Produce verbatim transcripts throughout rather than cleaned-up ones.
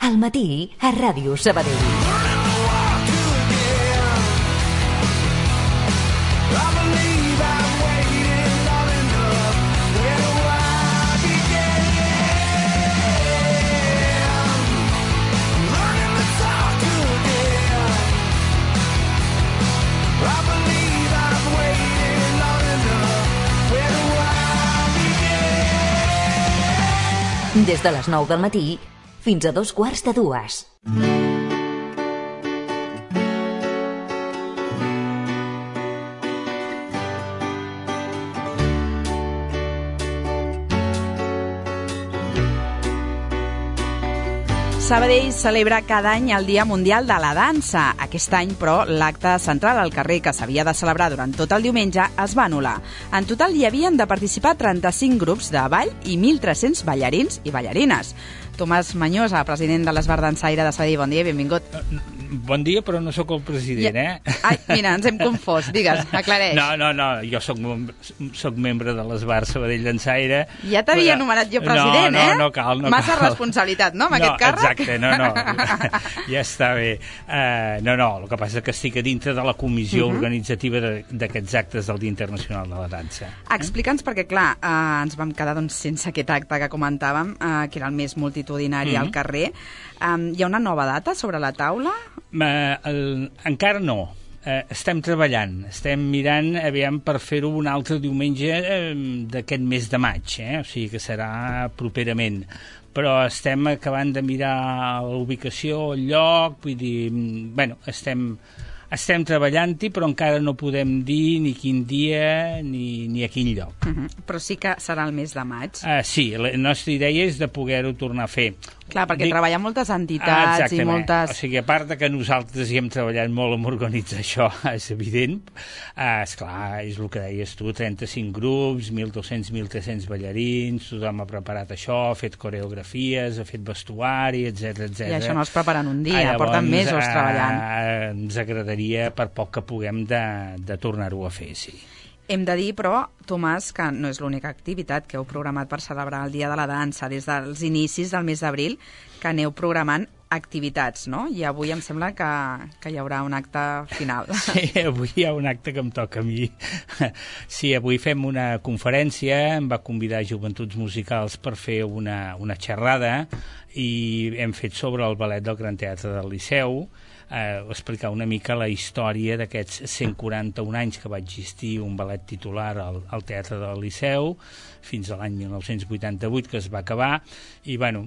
Al matí, a Ràdio Sabadell. Des de les nou del matí fins a dos quarts de dues. Sabadell celebra cada any el Dia Mundial de la Dansa. Aquest any, però, l'acte central al carrer que s'havia de celebrar durant tot el diumenge es va anul·lar. En total hi havien de participar trenta-cinc grups de ball i mil tres-cents ballarins i ballarines. Tomàs Manyosa, president de l'Esbar Dansaire de Sabadell, bon dia i benvingut. Bon dia, però no sóc el president, eh? Ai, mira, ens hem confós. Digues, aclareix. No, no, no, jo soc, soc membre de l'Esbar Sabadell Dansaire. Ja t'havia anomenat jo president, no, no, eh? No, no cal, no Massa cal. responsabilitat, no, amb no, aquest càrrec? Exacte, no, no, ja està bé. Uh, no, no, el que passa és que estic a dintre de la comissió uh-huh. organitzativa d'aquests actes del Dia Internacional de la Dansa. Explica'ns, perquè clar, uh, ens vam quedar doncs, sense aquest acte que comentàvem, uh, que era el més multitudinari uh-huh. al carrer. Um, hi ha una nova data sobre la taula? Uh, el, encara no. Uh, estem treballant, estem mirant aviam per fer-ho un altre diumenge uh, d'aquest mes de maig, eh? O sigui que serà properament. Però estem acabant de mirar l'ubicació, el lloc, vull dir, bueno, estem, estem treballant-hi, però encara no podem dir ni quin dia ni, ni a quin lloc. Uh-huh. Però sí que serà el mes de maig. Uh, sí, la nostra idea és de poder-ho tornar a fer. Clar, perquè Dic... treballen moltes entitats ah, i moltes... O sigui, a part de que nosaltres hi hem treballat molt en organitzar això, és evident, eh, esclar, és el que deies tu, trenta-cinc grups, mil dos-cents a mil tres-cents ballarins, tothom ha preparat això, ha fet coreografies, ha fet vestuari, etcètera, etcètera. I això no es prepara en un dia, ah, llavors, porten mesos eh, treballant. Ens agradaria, per poc que puguem, de, de tornar-ho a fer, sí. Hem de dir, però, Tomàs, que no és l'única activitat que heu programat per celebrar el Dia de la Dansa. Des dels inicis del mes d'abril que aneu programant activitats, no? I avui em sembla que, que hi haurà un acte final. Sí, avui hi ha un acte que em toca a mi. Sí, avui fem una conferència, em va convidar Joventuts Musicals per fer una, una xerrada i hem fet sobre el ballet del Gran Teatre del Liceu, eh, explicar una mica la història d'aquests cent quaranta-un anys que va existir un ballet titular al, al Teatre del Liceu, fins a l'any mil nou-cents vuitanta-vuit, que es va acabar, i bueno,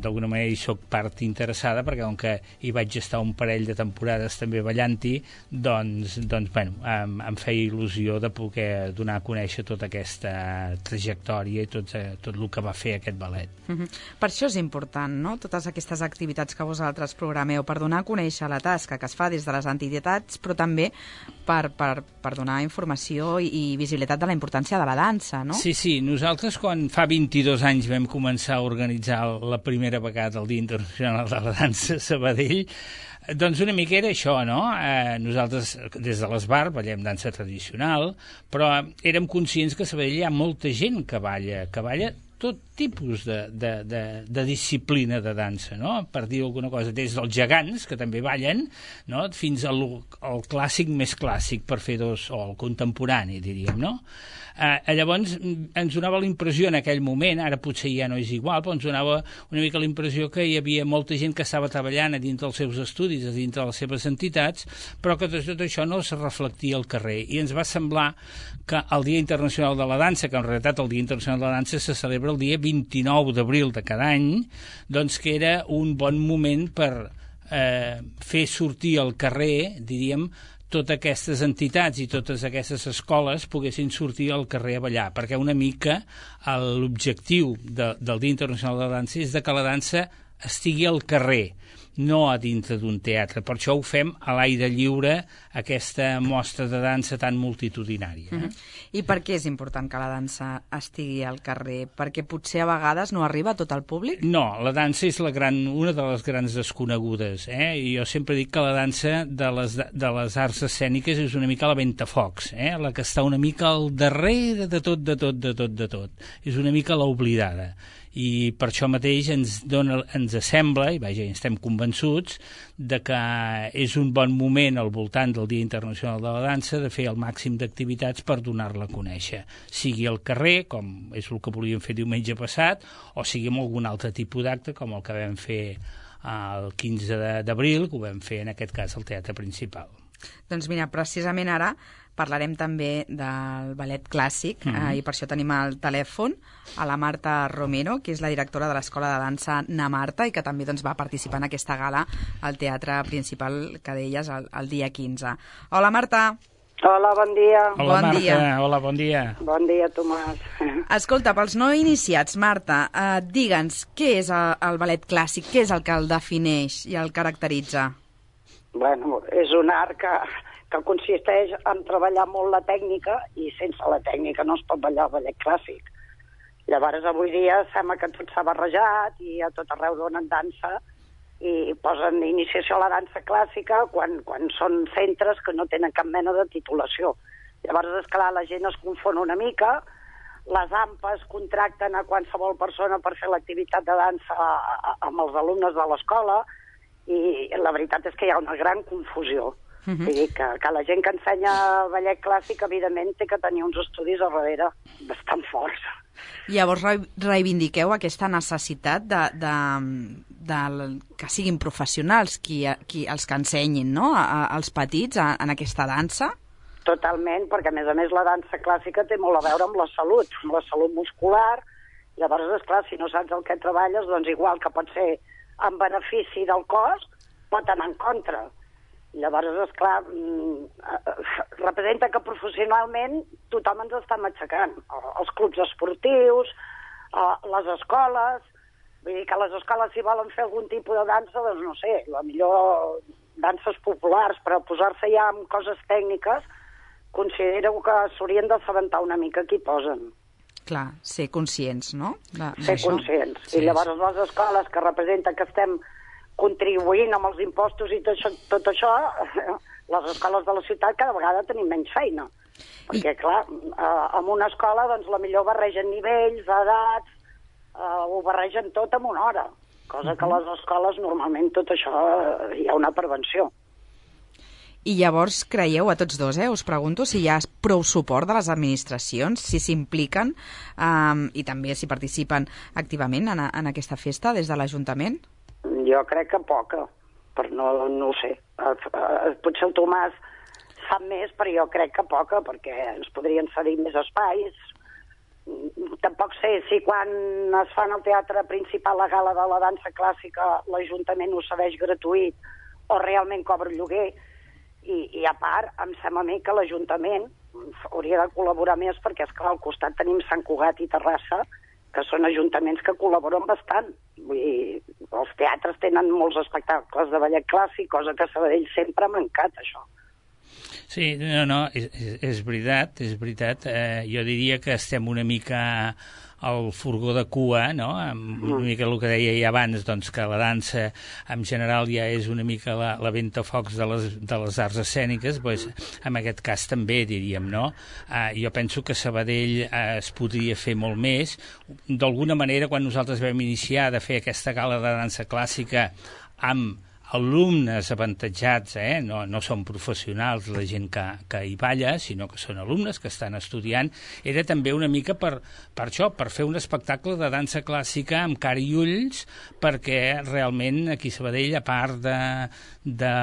d'alguna manera hi soc part interessada, perquè com que hi vaig estar un parell de temporades també ballant-hi, doncs, doncs bueno, em, em feia il·lusió de poder donar a conèixer tota aquesta trajectòria i tot, tot el que va fer aquest ballet. Uh-huh. Per això és important, no?, totes aquestes activitats que vosaltres programeu, per donar a conèixer la tasca que es fa des de les entitats, però també per, per, per donar informació i, i visibilitat de la importància de la dansa, no? Sí, sí, nosaltres quan fa vint-i-dos anys vam començar a organitzar la primera vegada el Dia Internacional de la Dansa a Sabadell, doncs una mica era això, no? Eh, nosaltres des de l'Esbar ballem dansa tradicional, però érem conscients que a Sabadell hi ha molta gent que balla, que balla tot tipus de, de, de, de disciplina de dansa, no? Per dir alguna cosa, des dels gegants, que també ballen, no?, fins al, al clàssic més clàssic, per fer dos, o el contemporani, diríem, no? Eh, llavors ens donava la impressió en aquell moment, ara potser ja no és igual, però ens donava una mica la impressió que hi havia molta gent que estava treballant a dins dels seus estudis, a dins de les seves entitats, però que tot això no es reflectia al carrer. I ens va semblar que el Dia Internacional de la Dansa, que en realitat el Dia Internacional de la Dansa se celebra el dia vint-i-nou d'abril de cada any, doncs que era un bon moment per eh, fer sortir al carrer, diríem, totes aquestes entitats i totes aquestes escoles poguessin sortir al carrer a ballar, perquè una mica l'objectiu de, del Dia Internacional de la Dansa és de que la dansa estigui al carrer, no a dintre d'un teatre. Per això ho fem a l'aire lliure, aquesta mostra de dansa tan multitudinària. Eh? Uh-huh. I per què és important que la dansa estigui al carrer? Perquè potser a vegades no arriba a tot el públic? No, la dansa és la gran, una de les grans desconegudes. Eh? I jo sempre dic que la dansa de les, de les arts escèniques és una mica la ventafocs, eh? La que està una mica al darrere de tot, de tot, de tot, de tot. És una mica l'oblidada. I per això mateix ens, dona, ens sembla, i vaja, estem convençuts, de que és un bon moment al voltant del Dia Internacional de la Dansa de fer el màxim d'activitats per donar-la a conèixer, sigui al carrer, com és el que volíem fer diumenge passat, o sigui amb algun altre tipus d'acte, com el que vam fer el quinze d'abril, que ho vam fer en aquest cas al Teatre Principal. Doncs mira, precisament ara parlarem també del ballet clàssic, mm-hmm. eh, i per això tenim al telèfon a la Marta Romero, que és la directora de l'Escola de Dansa Na Marta i que també doncs, va participar en aquesta gala al Teatre Principal, que deies, el, el dia quinze. Hola, Marta. Hola, bon dia. Hola, bon Marta. Dia. Hola, bon dia. Bon dia, Tomàs. Escolta, pels no iniciats, Marta, eh, digue'ns, què és el, el ballet clàssic? Què és el que el defineix i el caracteritza? Bueno, és un art que, que consisteix en treballar molt la tècnica i sense la tècnica no es pot ballar el ballet clàssic. Llavors, avui dia sembla que tot s'ha barrejat i a tot arreu donen dansa i posen iniciació a la dansa clàssica quan, quan són centres que no tenen cap mena de titulació. Llavors, esclar, la gent es confon una mica, les A M P Es contracten a qualsevol persona per fer l'activitat de dansa amb els alumnes de l'escola i la veritat és que hi ha una gran confusió. Uh-huh. Vull dir que, que la gent que ensenya ballet clàssic, evidentment, té que tenir uns estudis al darrere bastant forts. Llavors reivindiqueu aquesta necessitat de, de, de, de que siguin professionals qui, qui, els que ensenyin, no?, a, a, als petits a, en aquesta dansa? Totalment, perquè a més a més la dansa clàssica té molt a veure amb la salut, amb la salut muscular. Llavors, esclar, si no saps el que treballes, doncs igual que pot ser en benefici del cos, pot anar en contra. Llavors, esclar, representa que professionalment tothom ens està matxacant. Els clubs esportius, les escoles, vull dir que les escoles si volen fer algun tipus de dansa, doncs no sé, la millor danses populars, però posar-se ja amb coses tècniques, considero que s'haurien d'assabentar una mica qui posen. Clar, ser conscients, no? De, ser conscients. Sí, I llavors sí. Les escoles que representen que estem contribuint amb els impostos i tot això, tot això les escoles de la ciutat cada vegada tenim menys feina. Perquè, I... clar, eh, en una escola, doncs, la millor barregen nivells, edats, eh, ho barregen tot en una hora. Cosa uh-huh. que a les escoles, normalment, tot això eh, hi ha una prevenció. I llavors creieu a tots dos, eh? Us pregunto si hi ha prou suport de les administracions, si s'impliquen um, i també si participen activament en, a, en aquesta festa des de l'Ajuntament? Jo crec que poca, però no, no ho sé. Potser el Tomàs sap més, però jo crec que poca, perquè ens podrien cedir més espais. Tampoc sé si quan es fa en el Teatre Principal la gala de la dansa clàssica l'Ajuntament ho cedeix gratuït o realment cobra lloguer. I, i a part, em sembla a mi que l'Ajuntament hauria de col·laborar més perquè, esclar, al costat tenim Sant Cugat i Terrassa, que són ajuntaments que col·laboren bastant. Vull dir, els teatres tenen molts espectacles de ballet clàssic, cosa que a Sabadell sempre ha mancat, això. Sí, no, no, és, és veritat, és veritat. Eh, jo diria que estem una mica al furgó de cua, no? Una mica el que deia ja abans, doncs, que la dansa en general ja és una mica la, la ventafocs de les, de les arts escèniques, doncs, en aquest cas també, diríem, no? Eh, jo penso que Sabadell eh, es podria fer molt més. D'alguna manera, quan nosaltres vam iniciar de fer aquesta gala de dansa clàssica amb alumnes avantatjats, eh? no, no són professionals la gent que, que hi balla, sinó que són alumnes que estan estudiant, era també una mica per, per això, per fer un espectacle de dansa clàssica amb cara i ulls, perquè realment aquí a Sabadell, a part de, de,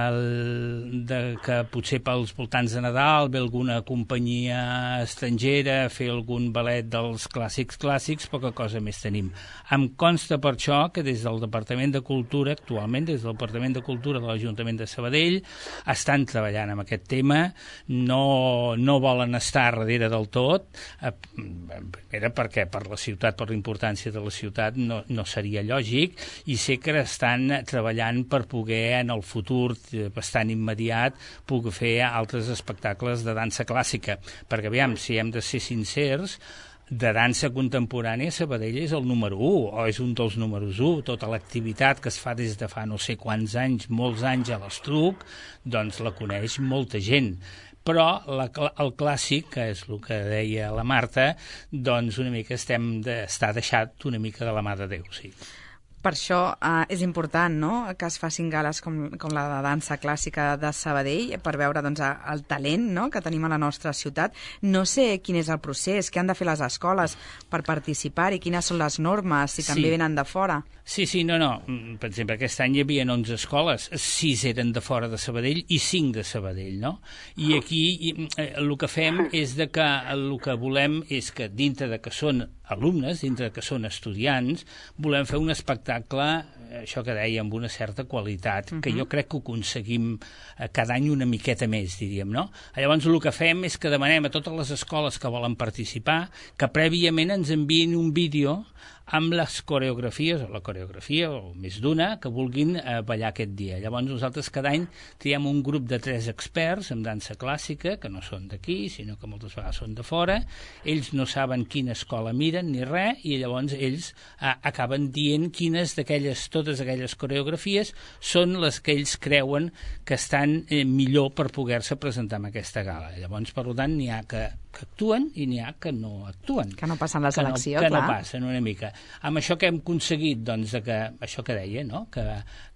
de que potser pels voltants de Nadal ve alguna companyia estrangera a fer algun ballet dels clàssics clàssics, poca cosa més tenim. Em consta per això que des del Departament de Cultura, actualment des del Departament de Cultura de l'Ajuntament de Sabadell, estan treballant amb aquest tema, no, no volen estar darrere del tot, eh, era perquè per la ciutat, per la importància de la ciutat, no, no seria lògic, i sé que estan treballant per poder en el futur bastant immediat poder fer altres espectacles de dansa clàssica, perquè aviam, si hem de ser sincers, de dansa contemporània Sabadell és el número u, o és un dels números u. Tota l'activitat que es fa des de fa no sé quants anys, molts anys a l'Estruc, doncs la coneix molta gent. però la, el clàssic, que és el que deia la Marta, doncs una mica estem de, està deixat una mica de la mà de Déu, sí. Per això eh, és important, no?, que es facin gales com, com la de dansa clàssica de Sabadell, per veure doncs, el talent, no?, que tenim a la nostra ciutat. No sé quin és el procés, què han de fer les escoles per participar i quines són les normes, si també sí. venen de fora. Sí, sí, no, no. Per exemple, aquest any hi havia onze escoles, sis eren de fora de Sabadell i cinc de Sabadell, no? I aquí eh, el que fem és de que el que volem és que dintre de que són alumnes, dintre de que són estudiants, volem fer un espectacle, això que deia, amb una certa qualitat, uh-huh. que jo crec que ho aconseguim cada any una miqueta més, diríem, no? Llavors el que fem és que demanem a totes les escoles que volen participar que prèviament ens enviïn un vídeo amb les coreografies, o la coreografia, o més d'una, que vulguin eh, ballar aquest dia. Llavors nosaltres cada any triem un grup de tres experts en dansa clàssica, que no són d'aquí, sinó que moltes vegades són de fora. Ells no saben quina escola miren ni res, i llavors ells eh, acaben dient quines d'aquelles, totes aquelles coreografies són les que ells creuen que estan eh, millor per poder-se presentar en aquesta gala. Llavors, per tant, n'hi ha que, que actuen i n'hi ha que no actuen. Que no passen la selecció, que no, clar. Que no passen una mica. Amb això que hem aconseguit, doncs, que, això que deia, no?, que,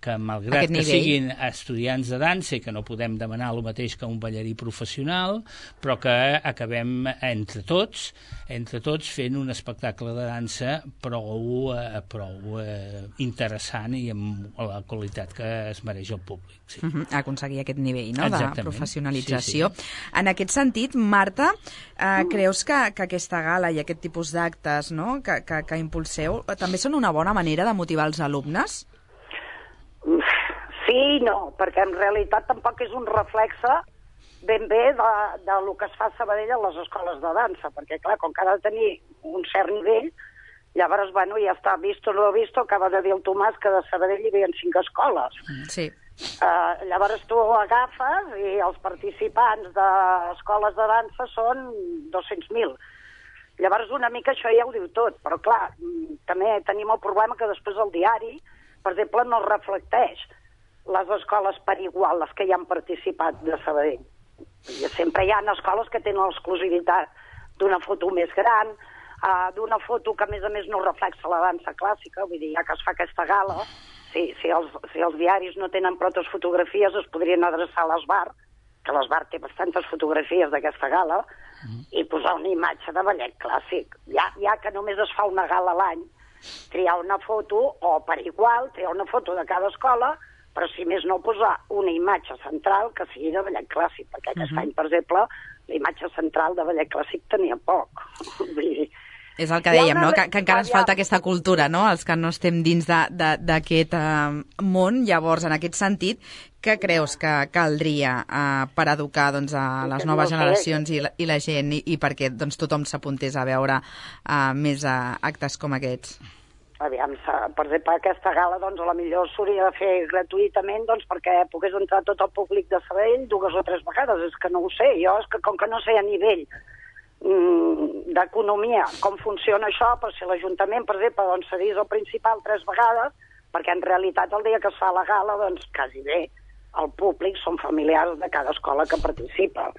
que malgrat que siguin estudiants de dansa i que no podem demanar el mateix que un ballarí professional, però que acabem entre tots, entre tots fent un espectacle de dansa prou, eh, prou eh, interessant i amb la qualitat que es mereix el públic. Sí. Uh-huh. Aconseguir aquest nivell, no?, de professionalització. Sí, sí. En aquest sentit, Marta, eh, creus que, que aquesta gala i aquest tipus d'actes, no?, que, que, que impulseu, també són una bona manera de motivar els alumnes? Sí i no, perquè en realitat tampoc és un reflexe ben bé de, de lo que es fa a Sabadell a les escoles de dansa, perquè clar, com que ha de tenir un cert nivell, llavors, bueno, ja està, visto lo visto, acaba de dir el Tomàs que de Sabadell hi havia cinc escoles. Sí. Uh, llavors tu agafes i els participants d'escoles de dansa són dos-cents mil. Llavors una mica això ja ho diu tot, però clar, també tenim el problema que després el diari, per exemple, no reflecteix les escoles per igual, les que hi han participat de Sabadell. I sempre hi ha escoles que tenen l'exclusivitat d'una foto més gran, uh, d'una foto que a més a més no reflexa la dansa clàssica, vull dir, ja que es fa aquesta gala, si, si, els, si els diaris no tenen prou fotografies es podrien adreçar a l'Esbar, que l'Esbar té bastantes fotografies d'aquesta gala, mm. i posar una imatge de ballet clàssic. Ja, ja que només es fa una gala a l'any, triar una foto, o per igual, triar una foto de cada escola, però si més no posar una imatge central que sigui de ballet clàssic, perquè aquest uh-huh. any, per exemple, la imatge central de ballet clàssic tenia poc. És el que dèiem, no?, que, que encara ens falta aquesta cultura, no?, els que no estem dins d'aquest uh, món. Llavors, en aquest sentit, què creus que caldria uh, per educar doncs, a les noves generacions i la, i la gent, i, i perquè doncs, tothom s'apuntés a veure uh, més uh, actes com aquests? Aviam, per exemple, aquesta gala, doncs, a la millor s'hauria de fer gratuïtament, doncs, perquè pogués entrar tot el públic de Sabadell dues o tres vegades. És que no ho sé, jo és que com que no sé a nivell mm, d'economia com funciona això, però si l'Ajuntament, per exemple, doncs, cedís al principal tres vegades, perquè en realitat el dia que es fa la gala, doncs, quasi bé, el públic són familiars de cada escola que participa.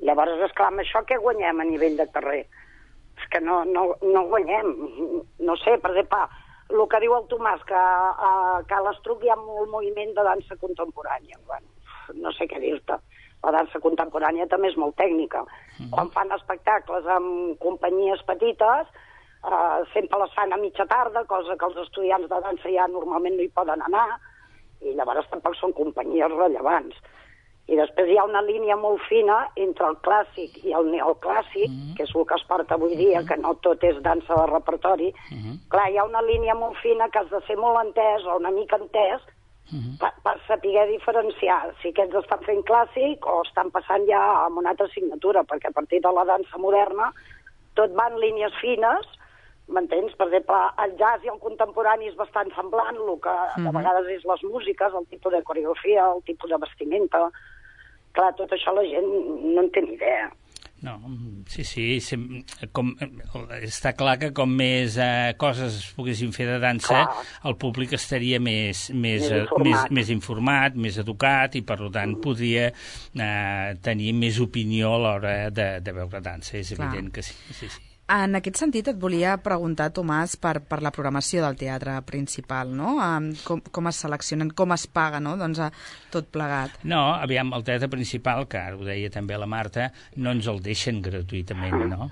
Llavors, esclar, amb això què guanyem a nivell de carrer? És que no, no, no guanyem. No sé, per exemple, el que diu el Tomàs, que a Cal Estruc hi ha molt moviment de dansa contemporània. Bueno, no sé què dir-te. La dansa contemporània també és molt tècnica. Mm. Quan fan espectacles amb companyies petites, eh, sempre les fan a mitja tarda, cosa que els estudiants de dansa ja normalment no hi poden anar, i llavors tampoc són companyies rellevants. I després hi ha una línia molt fina entre el clàssic i el neoclàssic, mm-hmm. que és el que es porta avui dia, que no tot és dansa de repertori. Mm-hmm. Clar, hi ha una línia molt fina que has de ser molt entès o una mica entès mm-hmm. per, per saber diferenciar si aquests estan fent clàssic o estan passant ja a una altra assignatura, perquè a partir de la dansa moderna tot va en línies fines, m'entens? Per exemple, el jazz i el contemporani és bastant semblant, el que mm-hmm. de vegades és les músiques, el tipus de coreografia, el tipus de vestimenta. Clar, tot això la gent no en té ni idea. No, sí, sí, sem, com, està clar que com més eh, coses es poguessin fer de dansa, clar, el públic estaria més, més, més, informat. més, més informat, més educat, i per tant podria eh, tenir més opinió a l'hora de, de veure dansa, és clar. Evident que sí, sí, sí. En aquest sentit et volia preguntar, Tomàs, per, per la programació del teatre principal, no? Um, com, com es seleccionen, com es paga, no? Doncs tot plegat. No, aviam, el teatre principal, que ara ho deia també la Marta, no ens el deixen gratuïtament, no?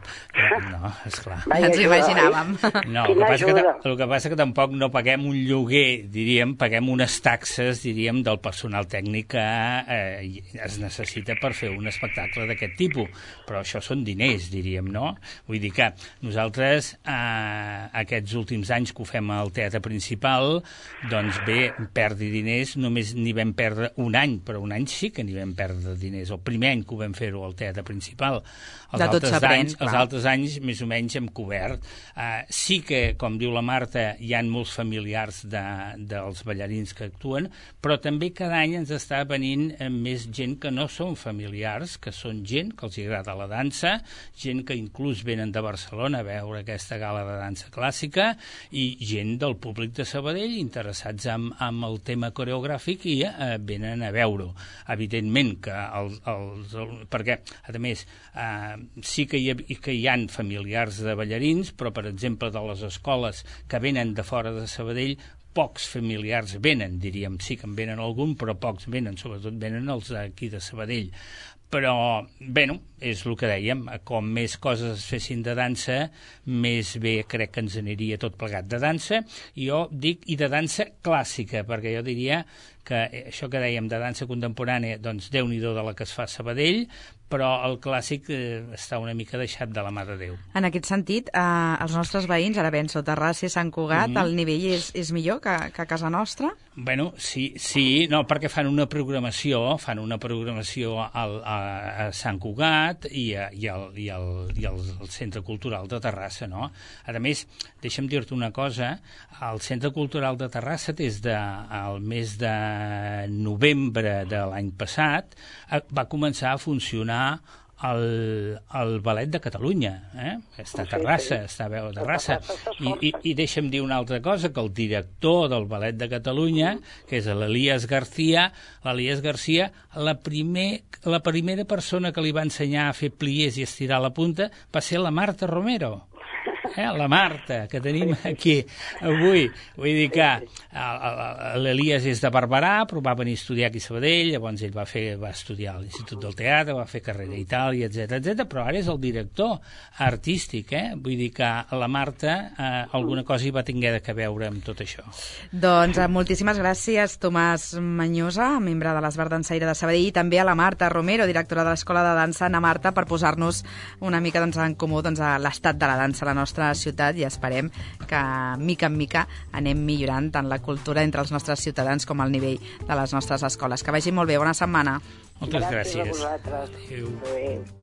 No, esclar. Ens ho imaginàvem. No, el que, passa que, el que passa que tampoc no paguem un lloguer, diríem, paguem unes taxes, diríem, del personal tècnic que eh, es necessita per fer un espectacle d'aquest tipus. Però això són diners, diríem, no? Vull dir que nosaltres, eh, aquests últims anys que ho fem al teatre principal, doncs bé, perdi diners, només n'hi vam perdre un any, però un any sí que n'hi vam perdre diners. El primer any que ho vam fer-ho al teatre principal. Els, altres anys, els altres anys, més o menys, hem cobert. Eh, sí que, com diu la Marta, hi ha molts familiars de, dels ballarins que actuen, però també cada any ens està venint més gent que no són familiars, que són gent que els agrada la dansa, gent que inclús venen de Barcelona a veure aquesta gala de dansa clàssica, i gent del públic de Sabadell interessats en, en el tema coreogràfic i eh, venen a veure-ho. Evidentment que els, els, els, perquè, a més, eh, sí que hi, ha, que hi ha familiars de ballarins, però, per exemple, de les escoles que venen de fora de Sabadell, pocs familiars venen, diríem. Sí que en venen algun, però pocs venen, sobretot venen els d'aquí de Sabadell. Però, bé, no, és el que dèiem, com més coses es fessin de dansa, més bé crec que ens aniria tot plegat de dansa, i jo dic, i de dansa clàssica, perquè jo diria que això que dèiem de dansa contemporània, doncs Déu-n'hi-do de la que es fa a Sabadell, però el clàssic eh, està una mica deixat de la mà de Déu. En aquest sentit, eh, els nostres veïns, ara penso, Terrassa i Sant Cugat, mm-hmm. el nivell és, és millor que, que a casa nostra? Bueno, sí, sí, no, perquè fan una programació, fan una programació al, a, a Sant Cugat i, a, i, al, i, al, i al, al Centre Cultural de Terrassa, no? A més, deixa'm dir-te una cosa, el Centre Cultural de Terrassa des del mes de novembre de l'any passat va començar a funcionar el, el Ballet de Catalunya, eh? Està a Terrassa, està a veure Terrassa. I, i, I deixa'm dir una altra cosa, que el director del Ballet de Catalunya, que és l'Elias García, l'Elias García, la, primer, la primera persona que li va ensenyar a fer pliés i estirar la punta va ser la Marta Romero. Eh, la Marta, que tenim aquí avui. Vull dir que l'Elias és de Barberà, però va venir a estudiar aquí a Sabadell, llavors ell va, fer, va estudiar a l'Institut del Teatre, va fer carrera a Itàlia, etcètera, etcètera, però ara és el director artístic, eh? Vull dir que la Marta eh, alguna cosa hi va tinguer de veure amb tot això. Doncs eh, moltíssimes gràcies, Tomàs Manyosa, membre de l'Esbart Dansaire de Sabadell, i també a la Marta Romero, directora de l'Escola de Dansa Ana Marta, per posar-nos una mica doncs, en comú doncs, a l'estat de la dansa a la nostra ciutat, i esperem que mica en mica anem millorant tant la cultura entre els nostres ciutadans com el nivell de les nostres escoles. Que vagi molt bé, bona setmana. Moltes gràcies. Gràcies a vosaltres. Adéu. Adéu.